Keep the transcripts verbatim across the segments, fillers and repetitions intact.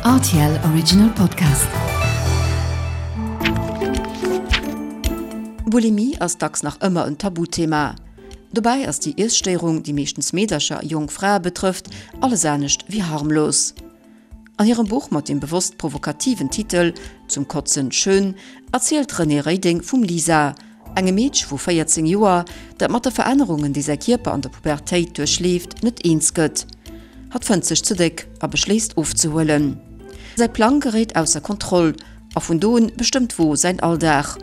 R T L Original Podcast. Bulimie ass dacks nach ëmmer en Tabuthema. Dobäi ass déi Iesstéierung, déi meeschtens Meedercher a jonk Frae betrëfft, alles anescht wéi harmlos. An hirem Buch mat dem bewosst provokativen Titel Zum Kotzen schön erzielt d'Renée Reding vum Lisa, engem Meedche vu véierzéng Joer, dat mat de Verännerungen, déi säi Kierper an der Pubertéit duerchleeft, net eens gëtt. Hatt fënnt sech ze déck a beschléisst ofzehuelen. Säi Plang geréit ausser Kontroll a vun do un bestëmmt d'Wo säin Alldag.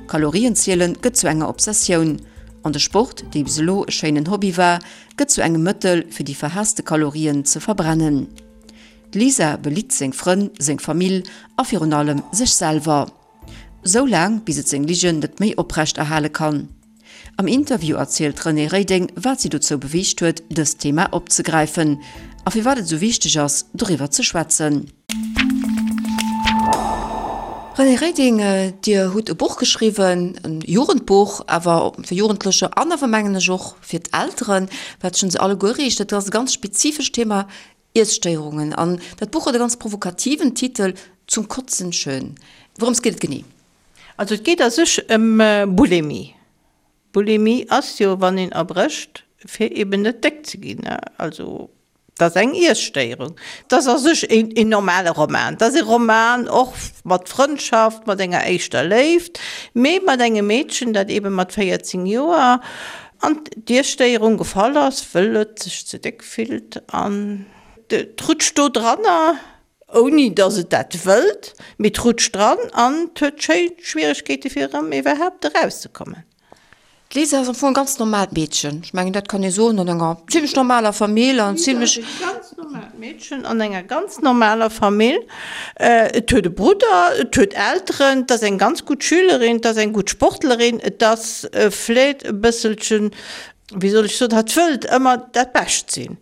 Kalorienzielen gëtt zu enger Obsessioun an de Sport, dee bis elo e schéinen Hobby war, gëtt zu engem Mëttel, fir déi verhaasste Kalorien ze verbrennen. D'Lisa belitt seng Frënn, seng Famill a virun allem sech selwer. Sou laang, bis et seng Ligen net méi oprecht erhale kann. Am Interview erzielt d'Renée Reding, wat si dozou beweegt huet, dëst Thema opzegräifen a firwat et sou wichteg ass, doriwwer ze schwätzen. Renée Reding, Dir hutt e Buch geschriwwen, e Jugendbuch, awer fir Jugendlecher an awer mengen ech och fir d'Elteren, wat sech un se alleguer riicht. Dat ass e ganz spezifescht Thema, Iesstéierungen. An dat Buch huet e ganz provokativen Titel, Zum Kotzen schön. Wourëms geet et genee? Also et geet a sech ëm Bulimie. Bulimie ass jo, wann een erbrécht, fir eben net déck ze ginn. Also dat ass eng Iesstéierung. Dat ass a sech een normale Roman. Dat ass e Roman och mat Frëndschaft, mat enger éischter Léift, mee mat engem Meedchen, dat eben mat véierzéng Joer an d'Iesstéierung gefall ass, wëll et sech ze déck fillt an et rutscht do dranner, ouni datt et dat wëllt, mee et rutscht dran an et huet schéi Schwieregkeete fir erëm iwwerhaapt erauszekommen. D'Lisa ass am Fong e ganz normaalt Meedchen, ech mengen dat kann ee soen, an enger zimlech normaler Famill an zimlech. D'Lisa ass e ganz normaalt Meedchen an enger ganz normaler Famill. Et huet e Brudder, et huet Elteren, et ass eng ganz gutt Schülerin, et ass eng gutt Sportlerin, et ass vläit e bësselchen, wéi soll ech soen, hatt wëllt ëmmer dat Bescht sinn.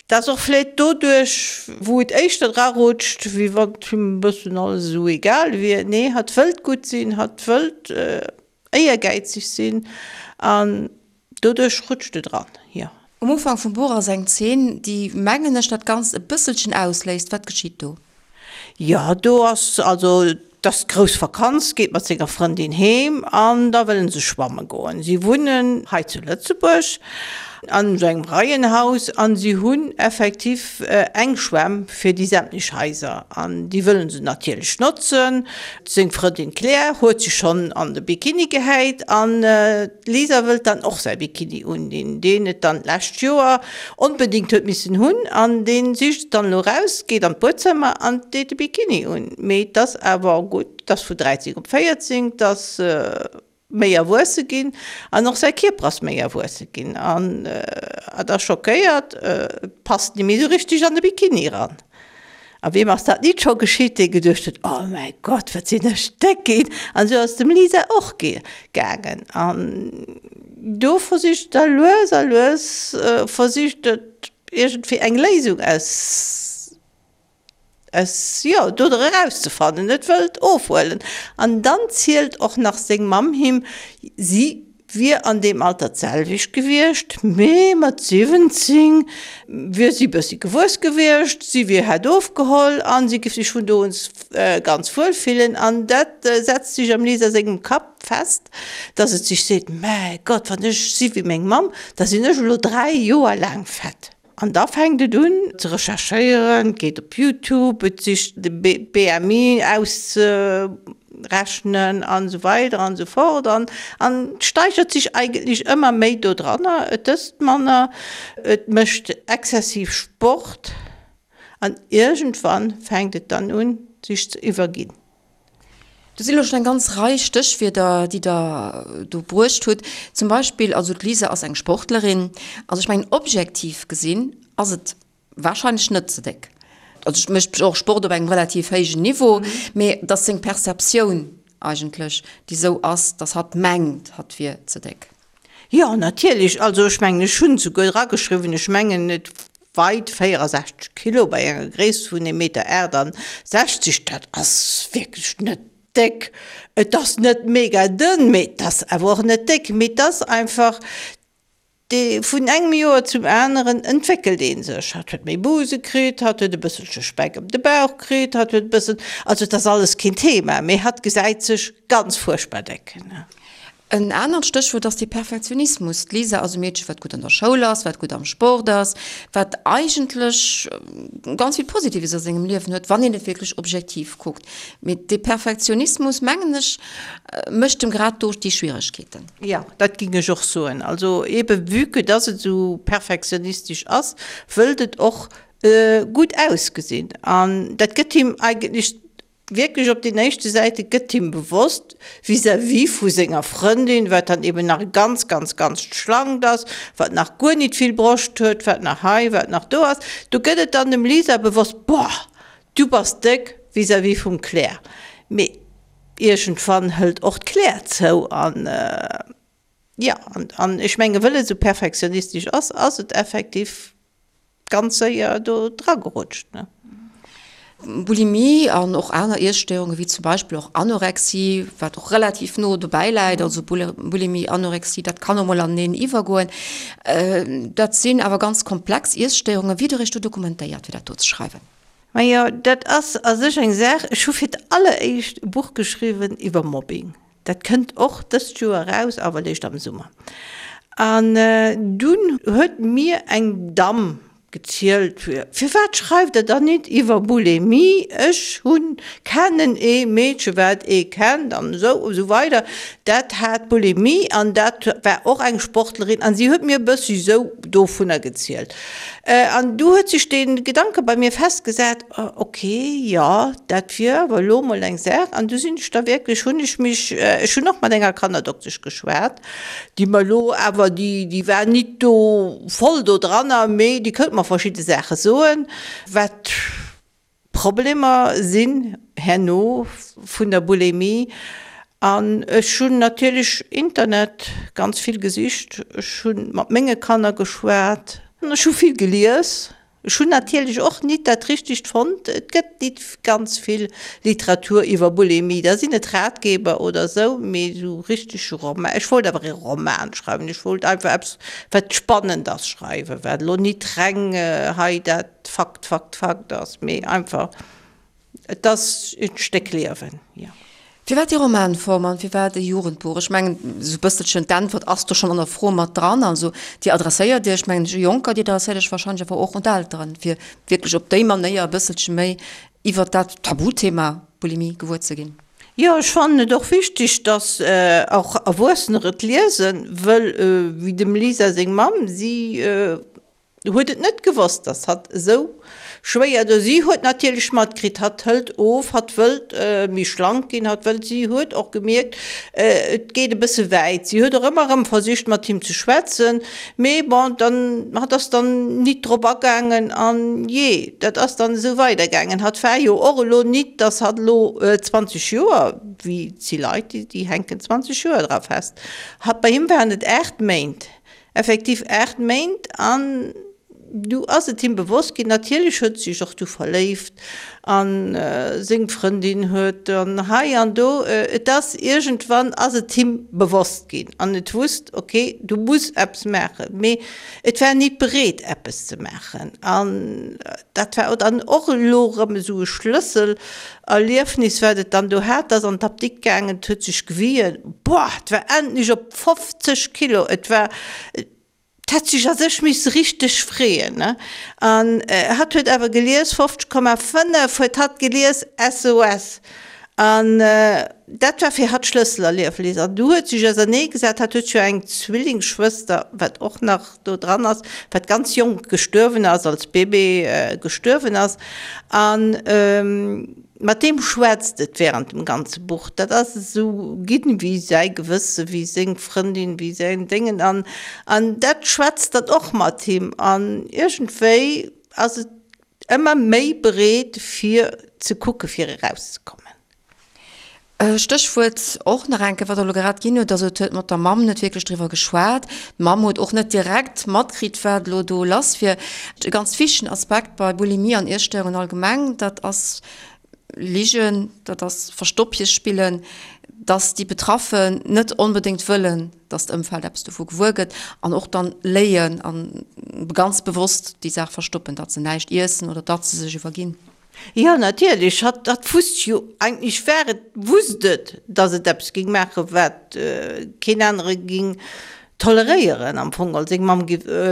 't ass och vläit doduerch, wou et éischter dra rutscht, wéi wann him e bëssen alles esou egal wier. Nee, hatt wëllt gutt sinn, hatt wëllt éiergäizeg sinn an doduerch rutscht et dran, jo. Um Ufank vum Buch ass eng Zeen, déi, mengen ech, dat Ganzt e bësselchen ausléist. Wat geschitt do? Jo, do ass also, 't ass grouss Vakanz, geet mat senger Frëndin heem an da wëllen se schwamme goen. Si wunnen hei zu Lëtzebuerg an esou engem Reihenhaus an si hunn effektiv eng Schwämm fir déi sämtlech Haiser an déi wëllen se natierlech notzen. Seng Frëndin Claire huet sech schonn an de Bikini gehäit an d'Lisa wëllt dann och säi Bikini undinn, deen et dann d'lescht Joer onbedéngt huet missen hunn an dee sicht et dann elo raus, geet an d'Buedzëmmer an deet de Bikini un. Mee 't ass awer gutt, 't ass vu dräizéng op véierzéng, 't ass méi erwuesse ginn an och säi Kierper ass méi erwuesse ginn an et ass schockéiert, et passt ni méi esou richteg an de Bikini eran. A wiem ass dat nit scho geschitt, dee geduecht huet, Oh mäi Gott, wat sinn ech déck ginn! An esou ass et dem Lisa och gaangen. An do versicht et da lues a lues versicht et iergendwéi eng Léisung aus, aus, jo, do erauszefannen. Et wëllt ofhuelen. An dann zielt och nach seng Mamm him, si wier an deem Alter d'selwecht gewiescht, mee mat siwwenzéng wier si bëssi gewuess gewiescht, si wier hätt ofgeholl a si giff sech vun do un ganz wuel fillen. An dat setzt sech am Lisa sengem Kapp fest, dass et sech seet, Mäi Gott, wann ech si wéi meng Mamm, da sinn ech elo dräi Joer laang fett. An da fänkt et un ze recherchéieren, et geet op Youtube, et sicht de B M I auszerechnen an esou weider an esou fort an an steigert sech eigentlech ëmmer méi do dranner. Et ësst manner, et mécht exzessiv Sport an iergendwann fänkt et dann un sech ze iwwerginn. Do sinn elo schonn eng ganz Rei Stéchwierder, déi Der do bruecht hutt. Zum Beispill, also d'Lisa ass eng Sportlerin. Also ech mengen, objektiv gesinn ass et wahrscheinlech net ze déck. Also et mécht och Sport op engem relativ héijen Niveau, mee et ass seng Perceptioun eigentlech, déi esou ass, datt hatt mengt, hatt wier ze déck. Jo, natierlech. Also ech mengen, ech hunn souguer erageschriwwen, ech mengen, et weit véierasechzeg Kilo bei enger Gréisst vun ee Meter aachtasechzeg. Dat ass wierklech net déck. Et ass net mega dënn, mee et ass awer och net déck. Mee et ass einfach Dee vun engem Joer zum aneren entwéckelt ee sech. Hatt huet méi Buse kritt, hatt huet e bësselche Speck ëm de Bauch kritt, hatt huet e bëssen, also et ass alles keen Thema, mee hatt gesäit sech ganz fuerchtbar déck. En anert Stéchwuert ass de Perfektionismus. D'Lisa ass e Meedche wat gutt an der Schoul ass, wat gutt am Sport ass, wat eigentlech ganz vill Positives a sengem Liewen huet, wann een et wierklech objektiv kuckt. Mee dee Perfektionismus, mengen ech, mécht em grad do déi Schwieregkeeten. Jo, dat ging ech och soen. Also ebe vue que dass et esou perfektionistesch ass, wëllt et och gutt ausgesinn. An dat gëtt him eigentlech Wierklech op den éischte Säite gëtt him bewosst, vis-à-vis vu senger Frëndin, wat dann eben nach ganz, ganz, ganz schlank ass, wat nach guer nit vill Broscht huet, wat nach hei, wat nach do ass, do gëtt et dann dem Lisa bewosst, Boah, du bass déck vis-à-vis vum Claire. Mee iergendwann hëlt och d'Claire zou an, jo, an ech menge wëll et esou perfektionistesch ass, ass et effektiv ganz séier do dragerutscht, ne. Bulimie an och aner Iesstéierungen, wéi zum Beispill och Anorexie, wat och relativ no dobäi läit, also Bulimie, Anorexie, dat kann och mol aneneen iwwergoen, dat sinn awer ganz komplex Iesstéierungen. Wéi hutt Der Iech do dokumentéiert, fir dat do ze schreiwen? Majo, dat ass a sech eng Saach, ech hu fir d'alleréischt e Buch geschriwwen iwwer Mobbing. Dat kënnt och dëst Joer eraus, awer léischt am Summer. An dunn huet mir eng Damm gezielt, Firwat schreift Der dann nit iwwer Bulimie? Ech hunn, kennen ee Meedche wat ee kennt an esou esou weider, dat hat Bulimie an dat war och eng Sportlerin an si huet mir e bëssi esou dovunner gezielt. An du huet sech dee Gedanke bei mir festgesat, ok, jo, dat wier awer elo mol eng Saach. An du sinn ech da wierklech, hunn ech mech, ech hunn och mat enger Kannerdoktesch geschwat, déi mer elo awer, déi, déi war nit do voll do dranner, mee déi kënnt mer verschidde Saache soen, wat Problemer sinn herno vun der Bulimie. An ech hunn natierlech Internet ganz vill gesicht, ech hu mat menge Kanner geschwat, ech hu vill gelies. Ech hunn natierlech och nit dat Richtegt fonnt. Et gëtt nit ganz vill Literatur iwwer Bulimie. Da sinn et Ratgeber oder esou, mee esou richtege Roman, ech wollt awer e Roman schreiwen, ech wollt einfach eppes, wat spannend ass, schreiwen, wat elo nit reng hei dat Fakt, Fakt, Fakt ass, mee einfach, et ass e Stéck Liewen, jo. Firwat déi Romanform an firwat e Jugendbuch? Ech mengen, esou e bësselchen d'Äntwert ass do schonn an der Fro mat dran. Also Dir adresséiert Iech, mengen ech, u Jonker, Dir adresséiert Iech warscheinlech awer och un d'Elteren, fir wierklech op déi Manéier e bësselche méi iwwert dat Tabuthema Bulimie gewuer ze ginn. Jo, ech fannen et och wichteg, dass och Erwuessener et liesen, wëll wéi dem Lisa seng Mamm, si huet et net gewosst, dass hatt esou schwéier do. Si huet natierlech matkritt, hatt hëlt of, hatt wëllt méi schlank ginn, hatt wëllt. Si huet och gemierkt, et geet e bësse wäit. Si huet och ëmmer erëm versicht, mat him ze schwätzen, mee bon, dann, hatt ass dann nit drop agaangen an jee, dat ass dann esou weidergaangen. Hatt war jo och elo nit, dass hatt elo zwanzeg Joer, wéi et si Leit, déi hänken zwanzeg Joer dra fest, hatt, bei him waren et aacht Méint. Effektiv aacht Méint an du ass et him bewosst ginn. Natierlech huet sech och du verléift a seng Frëndin huet an hei an do. Et ass iergendwann ass et him bewosst ginn an et wusst, ok, du muss eppes maachen. Mee et war nit bereet eppes ze maachen an dat war dann och elo erëm esou e Schlësselerliefnis, wat et dann do hat, ass an d'Apdikt gaangen, et huet sech gewien, boah, et war endlech op fofzeg Kilo, et war, et hätt sech a sech misse richteg freeën, ne? An hatt huet awer gelies, fofzeg Komma fënnef huet hatt gelies, S O S. An dat war fir hatt Schlësselerliefnis. An du huet sech ausernee gesat, hatt huet jo eng Zwillingsschwëster, wat och nach do dran ass, wat ganz jonk gestuerwen ass, als Bébé gestuerwen ass. An Mat deem schwätzt et während dem ganze Buch. Dat ass esou ginn wéi säi Gewësse, wéi seng Frëndin, wéi säin Déngen. An, an dat schwätzt dann och mat him. An iergendwéi ass et ëmmer méi bereet fir ze kucke fir erauszekommen. Stéchwuert och nach eng Kéier, wat Der elo grad ginn hutt, also et huet mat der Mamm net wierklech driwwer geschwat. D'Mamm huet och net direkt matkritt, wat elo do lass wier. E ganz wichtegen Aspekt bei Bulimie an Iesstéierungen allgemeng, dat ass Ligen, dat ass Verstoppche spillen. dass déi Betraffen net onbedéngt wëllen, dass d'Ëmfeld eppes dovu gewuer gëtt an och dann léien an ganz bewosst déi Saach verstoppen, datt se näischt iessen oder datt se sech iwwerginn. Jo, natierlech, hatt, hatt wusst jo eigentlech, war et, wusst et, dass et eppes géing maachen, wat keen anere géing toleréieren am Fong. Well seng Mamm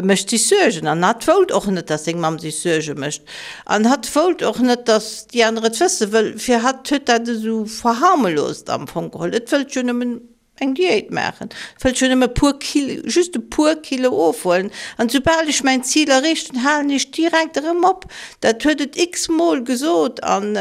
mécht sech Suergen an hatt wollt och net, dass seng Mamm sech Suerge mécht an hatt wollt och net, dass déi aner et wëssen, wëll fir hatt huet dat esou verharmlost am Fong geholl. Et wëllt jo nëmmen eng Diät maachen, et wëllt jo nëmme e puer Kilo, just e puer Kilo ofhuelen an soubal ech mäin Zil erreecht hunn, halen ech direkt erëm op. Dat huet et x-mol gesot an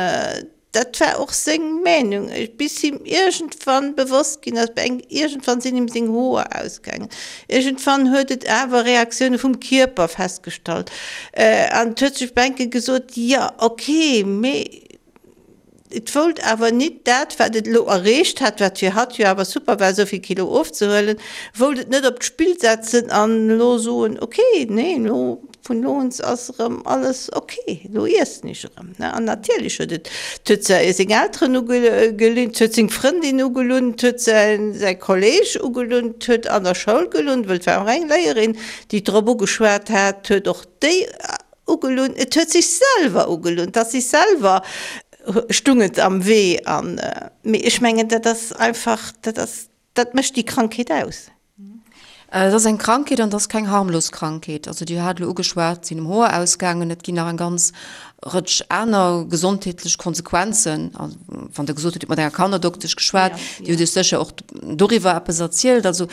Dat war och seng Meenung, bis him iergendwann bewosst ginn ass, iergendwann sinn him seng Hoer ausgaangen, iergendwann huet et awer Reaktioune vum Kierper festgestallt an et huet sech Bänke gesot, jo ok, mee et wollt awer nit dat, wat et elo erreecht hat, wat fir hatt jo awer super war, esou vill Kilo ofzehuelen, wollt et net op d'Spill setzen an elo soen, ok, nee, elo Vun elo un ass erëm alles ok, elo iessen ech erëm. An natierlech huet et, et huet seng Elteren ugelunn, et huet seng Frëndin ugelunn, et huet säi Kolleeg ugelunn, et huet an der Schoul gelunn, wëll et war och eng Léierin, déi drop ugeschwat hat, et huet och déi ugelunn, et huet sech selwer ugelunn, et ass sech selwer stung et am Wee. An, mee ech mengen, dat ass einfach, dat ass, dat mécht déi Krankheet aus. Et ass eng Krankheet an et ass keng harmlos Krankheet. Also Dir hat elo ugeschwat, et sinn em Hoer ausgaangen, et ginn nach eng ganz Rëtsch aner gesondheetlech Konsequenzen. Also wann Der gesot hutt, Dir hutt mat enger Kannerdoktesch geschwat, déi huet Iech sécher och doriwwer eppes erzielt. Also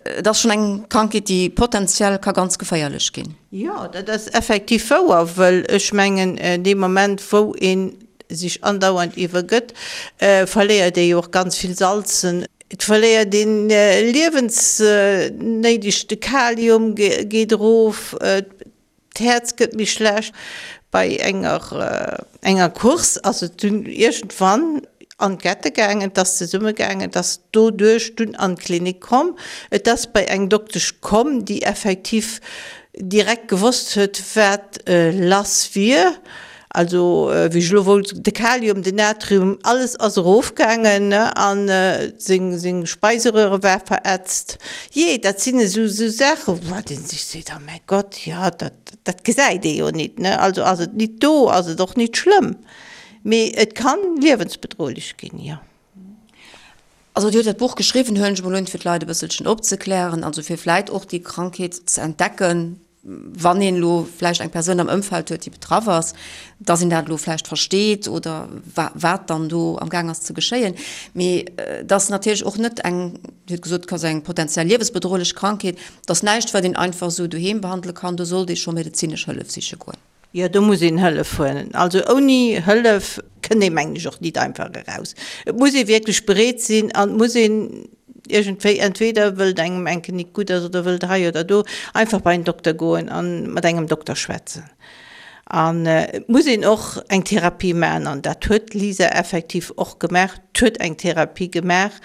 et ass schonn eng Krankheet, déi potenziell ka ganz geféierlech ginn. Jo, dat ass effektiv wouer, wëll ech mengen, dee Moment wou ee sech andauernd iwwergëtt, verléiert ee jo och ganz vill Salzen. Et verléiert een liewensnéideg, de Kalium geet erof, d'Häerz gëtt méi schlecht. Bei enger enger Course ass et dunn iergendwann an d'Kette gaangen, et ass zesumme gaangen, et ass doduerch dunn an d'Klinik komm. Et ass bei eng Doktesch komm, déi effektiv direkt gewosst huet, wat lass wier. Also wéi ech elo wollt, de Kalium, den Natrium, alles ass erofgaangen, ne, an seng seng Speiseröhre war verätzt. Jee, dat sinn esou esou Saachen, wat ee sech seet, oh mäi Gott, jo, dat dat gesäit ee jo nit, ne. Also ass et nit do, ass et och nit schlëmm, mee et kann liewensbedrohlech ginn, jo. Also Dir hutt dat Buch geschriwwen, huelen ech emol un, fir d'Leit e bësselchen opzeklären, also fir vläit och déi Krankheet ze entdecken, wann een elo vläicht eng Persoun am Ëmfeld huet, déi betraff ass, dass een dat elo vläicht versteet oder wat dann do am Gaang ass ze geschéien. Mee et ass natierlech och net eng, Dir hutt gesot, et ass eng potenziell liewesbedrohlech Krankheet, et ass näischt, wat een einfach esou doheem behandele kann, do sollt ee scho medezinesch Hëllef siche goen. Jo, do muss een Hëllef huelen. Also ouni Hëllef kënnt ee mengen ech och nit einfach eraus. Et muss ee wierklech bereet sinn an et muss een iergendwéi, entweder wëll et engem enke nit gutt ass oder wëll et hei oder do, einfach bei en Dokter goen a mat engem Dokter schwätzen. An et muss een och eng Therapie maachen an dat huet d'Lisa effektiv och gemaach. D'huet eng Therapie gemaach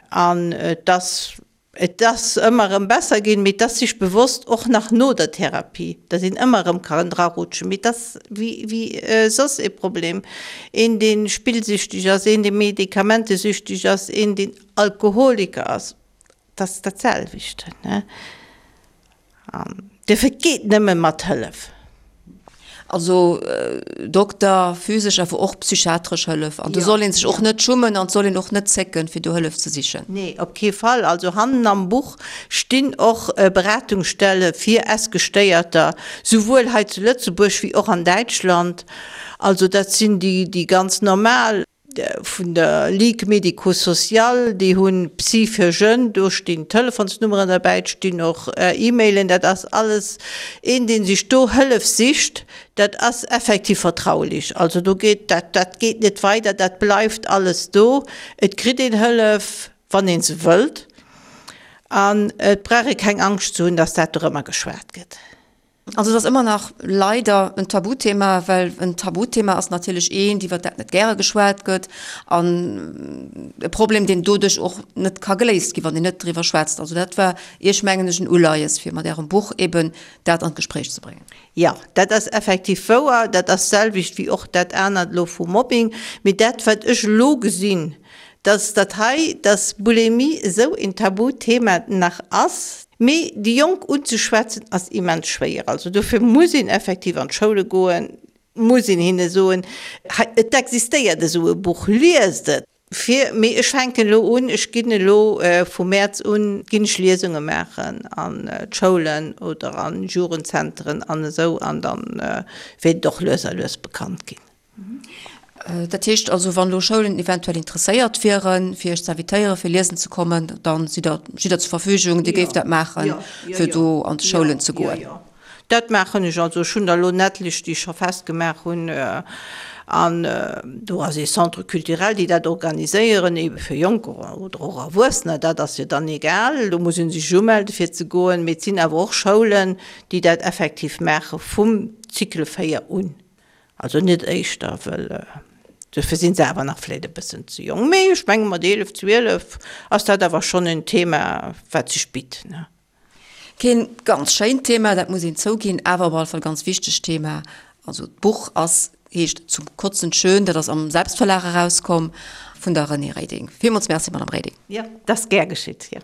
an et ass Et ass ëmmer erëm besser ginn, mee et ass sech bewosst, och nach no der Therapie, datt een ëmmer erëm kann drarutschen. Mee et ass wéi wéi soss ee Problem, een dee spillsüchteg ass, een dee medikamentesüchteg ass, een deen Alkoholiker ass, et ass dat selwecht. An duerfir, et geet nëmme mat Hëllef. Also Dokter, physesch awer och psychiatresch Hëllef. An do soll ee sech och net schummen an et soll een och net zécken, fir do Hëllef ze sichen. Nee, op kee Fall. Also hannen am Buch stinn och Beratungsstelle fir Essgestéierter, souwuel hei zu Lëtzebuerg wéi och an Däitschland. Also dat sinn déi ganz normal. Vun der Ligue médico-sociale, déi hunn Psy fir Jeunes, do stinn Telefonsnummeren derbäi, et stinn och E-Mailen, dat ass alles een, dee sech do Hëllef sicht, dat ass effektiv vertraulich, also do geet dat, dat geet net weider, dat bleift alles do, et kritt een Hëllef, wann ee se wëllt, an et brauch ee keng Angscht ze hunn, dass dat dorëmmer geschwat gëtt. Also et ass ëmmer nach leider en Tabuthema, well en Tabuthema ass natierlech eent, iwwert dat net gäre geschwat gëtt an e Problem, deen doduerch och net ka geléist ginn, wann een net driwwer schwätzt. Also dat war Iech, mengen ech, en Uleies, fir mat Ärem Buch eben dat an d'Gespréich ze bréngen. Jo, dat ass effektiv wouer. Dat ass d'selwecht wéi och dat anert elo vum Mobbing. Mee dat, wat ech elo gesinn, Dass dat hei, dass Bulimie esou een Tabuthema nach ass. Mee déi Jonk unzeschwätzen ass immens schwéier. Also dofir muss een effektiv an d'Schoule goen, muss een hinne soen, hei, et existéiert esou e Buch, liest et. Fir, mee ech fänken elo un, ech ginn elo vu Mäerz un, ginn ech Liesunge maachen an d'Schoulen oder an Jugendzenteren an esou an dann wäert et och lues a lues bekannt ginn. Dat heescht also, wann elo Schoulen eventuell interesséiert wieren, fir Iech ze invitéieren, fir liesen ze kommen, da sidd Der, steet Der zur Verfügung, Dir géift dat maachen, fir do an d'Schoulen ze goen? Jo, jo, dat maachen ech. Also ech hunn der elo en etlech, déi ech scho festgemaach hunn. An do ass ee Centre culturel, déi dat organiséieren, eebe fir Jonker oder och Erwuessener, dat ass jo dann egal. Do muss ee sech umelde fir ze goen. Mee et sinn awer och Schoulen, déi dat effektiv maache vum Cycle véier un. Also net éischter, well dofir si se awer nach vläicht e bëssen ze jonk. Mee ech menge mat eelef, zwielef ass dat awer schonn en Thema, wat sech bitt. Keen ganz schéint Thema, dat muss een zouginn, awer op alle Fall ganz wichtegt Thema. Also d'Buch ass, heescht Zum Kotzen schön, dat ass am Selbstverlag erauskomm vun der Renée Reding. Villmools Merci, Madame Reding. Jo, dat ass gär geschitt, jo.